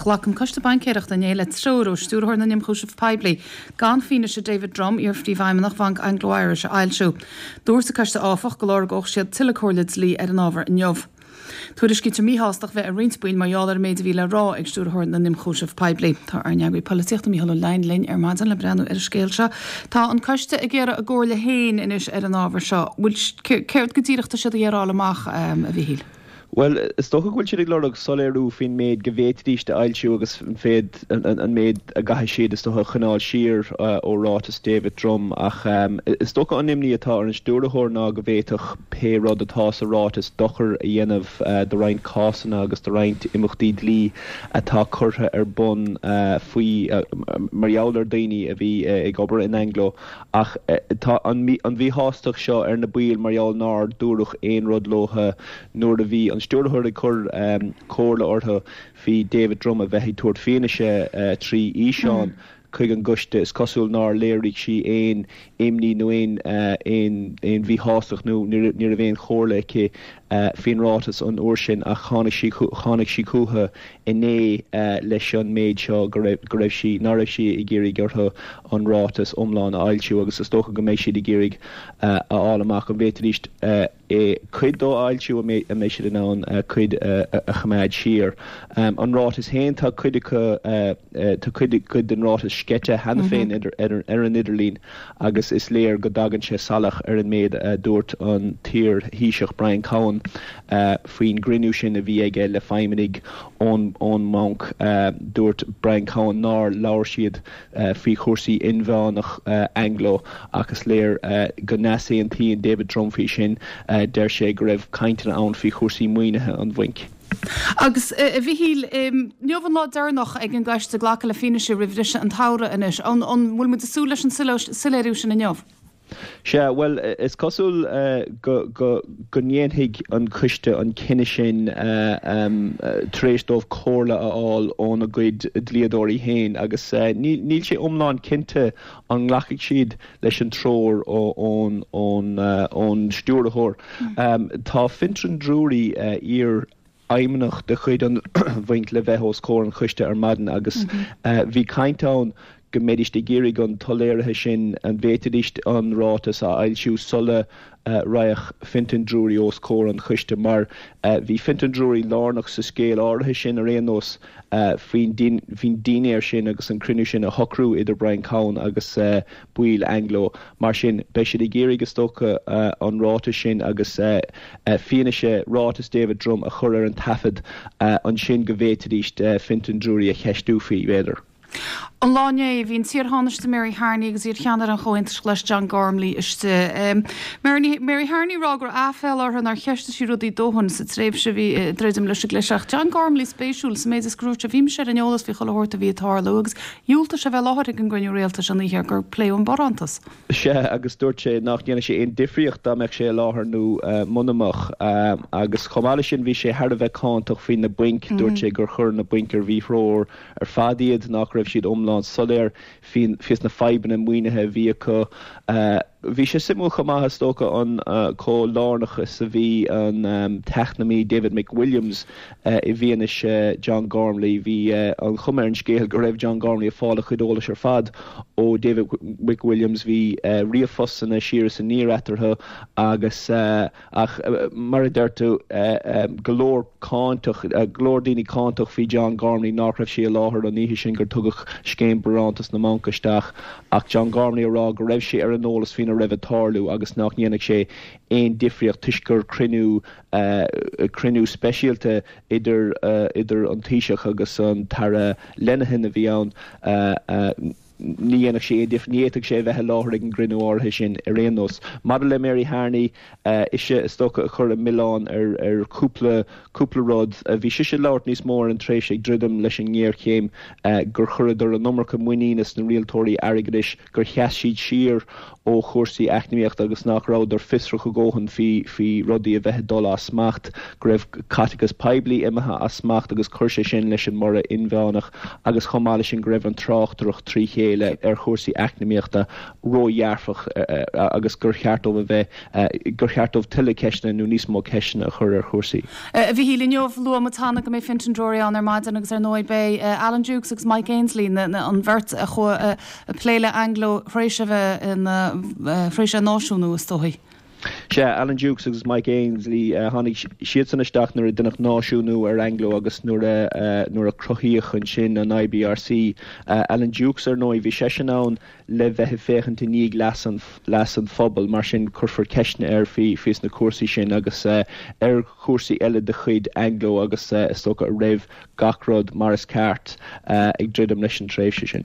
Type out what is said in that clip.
Ghlac an Coiste Baincéireachta inné le treoir ó Stiúrthóir na nIomchúiseamh Poiblí gan fianaise David Drumm, iar-phríomhfheidhmeannach Bhanc Anglo Irish, a fhoilsiú. Dúirt an Coiste áfach go lorgódh siad tuilleadh comhairle dlí ar an ábhar inniu. Tuairiscítear míshástacht bheith ar roinnt baill mar gheall ar an méid a bhí le rá ag Stiúrthóir na nIomchúiseamh Poiblí. Tá ár n-eagraí polaitíochta Mícheál Ó Leidhin linn ar maidin le breathnú ar an scéal seo. Tá an Coiste ag iarraidh a gcomhairle féin anois ar an ábhar seo. Bhfuil, céard go díreach tá siad ag iarraidh a fháil amach, a Mhichíl? Bhuel, is dócha go bhfuil siad ag lorg soiléiriú faoin méid go bhféadfaidíst a fhoilsiú agus an an méid a gcaithfidh siad, is dócha, a choinneáil siar ó ráiteas David Drumm. Ach is dócha an imní atá ar an stiúrthóir ná go bhféadfadh pé rud atá sa ráiteas dochar a dhéanamh do roinnt cásanna agus do roinnt imeachtaí dlí atá curtha ar bun faoi mar gheall ar daoine a bhí ag obair in Anglo. Ach tá an mhíshástacht seo ar na baill mar gheall nár dúradh aon rud leo nuair a bhí an stiúrthóir ag cur comhairle orthu faoi David Drumm a bheith ag tabhairt fianaise trí fhíseán chuig an gcoiste. Is cosúil nár léirigh sí aon imní nó aon aon mhíshástacht nó ní raibh aon chomhairle aici faoin ráiteas an uair sin ach tháinig sí tháinig sí chucu inné leis an méid seo go raibh go raibh sí nach raibh sí ag iarraidh orthu an ráiteas iomlán a fhoilsiú agus is dócha go mbeidh siad ag iarraidh a fháil amach an bhféadfaidís cuid dó a fhoilsiú an mbeidh an mbeidh siad in ann cuid a choimeád siar. An ráiteas féin tá cuid acu tá cuid cuid den ráiteas sceite cheana féin ar ar an idirlíon agus is léir go dtagann sé salach ar an méid a dúirt an t-iar-Thaoiseach Brian Cowen faoin gcruinniú sin a bhí aige le feidhmeannaigh ón mbanc. Dúirt Brian Cowen nár labhair siad faoi chúrsaí inmheánach Anglo ach is léir go n-easaontaíonn David Drumm faoi sin. Deir sé go raibh cainteanna ann faoi chúrsaí maoinithe an bhainc. Agus, a Mhichíl, inniu an lá deireanach ag an gcoiste glacadh le fianaise roimh bhriseadh an tsamhraidh anois. An bhfuil muid ag súil leis an soiléiriú sin inniu? Sea, bhuel, is cosúil go go ndéanfaidh an coiste an cinneadh sin tar éis dóibh comhairle a fháil óna gcuid dlíodóirí féin agus níl sé iomlán cinnte an nglacfaidh siad leis an treoir ón ón stiúrthóir. Tá Fintan Drury, iar fheidhmeannach de chuid an bhainc le bheith os comhair an choiste ar maidin agus bhí caint ann go mbeidís ag iarraidh an tsoiléirithe sin, an bhféadfaidís an ráiteas a fhoilsiú sula raghadh Fintan Drury os comhair an choiste mar bhí Fintan Drury lárnach sa scéal áirithe sin ar aon nós faoin dinnéar sin agus an cruinniú sin a shocrú idir Brian Cowen agus baill Anglo. Mar sin, beidh siad ag iarraidh, is dócha, an ráiteas sin agus fianaise ráiteas David Drumm a chur ar an taifead ansin go bhféadfaidís Fintan Drury a cheistiú faoi, b'fhéidir. An lá inné, bhí an t-iar-Thánaiste Mary Harney agus iar-cheannaire an Chomhaontais Ghlais John Gormley istigh. Mary Mary Harney ag rá go raibh aiféala uirthi nár cheistigh sí rudaí dóthain sa tréimhse a bhí ag druidim leis an gcliseadh. Ach John Gormley spéisiúil sa méid is gur dúirt sé bhí mise ar an eolas faoi chuile shórt a bhí ag tarlú agus dhiúltaigh sé bheith i láthair ag an gcruinniú rialtais an oíche gur pléadh an barántas. Sea, agus dúirt sé nach ndéanfadh sé aon difríocht dá mbeadh sé i láthair nó muna mbeadh. Agus chomh maith leis sin bhí sé thar a bheith cáinteach faoi na bainc. Dúirt sé gur chuir na bainc ar mhíthreoir ar fad iad, nach raibh siad iomlán soiléir faoi na fadhbanna maoinithe a bhí acu. Bhí sé suimiúil chomh maith, is dócha, an chomh lárnach is a bhí an t-eacnamaí David McWilliams i bhfianaise John Gormley. Bhí an chuma ar an scéal go raibh John Gormley ag fáil a chuid eolais ar fad ó David McWilliams. Bhí ríomhphostanna siar is aniar eatarthu agus Ach mar a deir tú, go leor cáinteach, go leor daoine cáinteach faoi John Gormley nach raibh sé i láthair an oíche sin gur tugadh scéim barántas na mbanc isteach ach John Gormley ag rá go raibh sé ar an eolas faoina raibh ag tarlú agus nach ndéanfadh sé aon difríocht toisc gur cruinniú cruinniú speisialta idir idir an Taoiseach agus an tAire Lenihan a bhí ann. Ní dhéanfadh sé aon difear, ní fhéadfadh sé a bheith i láthair ag an gcruinniú áirithe sin ar aon nós. Maidir le Mary Harney, ise is dócha a chuir an milleán ar ar chúpla cúpla rud. Bhí sise ag labhairt níos mó ar an tréimhse ag druidim leis an ngéarchéim, gur chuireadar an iomarca muiníne sna rialtóirí airgeadais, gur sheas siad siar ó chúrsaí eacnamaíochta agus nach rabhadar fiosrach a dhóthain faoi faoi rudaí a bheith ag dul as smacht, go raibh caiteachas poiblí imithe as smacht agus chuir sé sin leis an mborradh inmheánach agus chomh maith leis sin go raibh an tráchtaireacht trí chéile. chéile ar chúrsaí eacnamaíochta ródhearfach agus gur cheart dóibh a bheith, gur cheart dóibh tuilleadh ceisteanna nó níos mó ceisteanna a chur ar chúrsaí. A Mhichíl, inniu, luaigh muid cheana go mbeidh Fintan Drury ann ar maidin agus ar ndóigh beidh Alan Dukes agus Mike Ainsley, an bheirt a chuaigh ag plé le Anglo tar éis a bheith ina, tar éis a náisiúnú is dóigh. Sea, Alan Dukes agus Mike Ainsley, tháinig siadsan isteach nuair a deineadh náisiúnú ar Anglo agus nuair a, nuair a cruthaíodh ansin an IBRC. Alan Dukes, ar ndóigh, bhí seisean ann le bheith ag féachaint i ndiaidh leas an, leas an phobail, mar sin cuirfear ceisteanna air faoi, faoi sna cúrsaí sin agus ar chúrsaí eile de chuid Anglo agus is dócha a raibh gach rud mar is ceart ag druidim leis an tréimhse sin.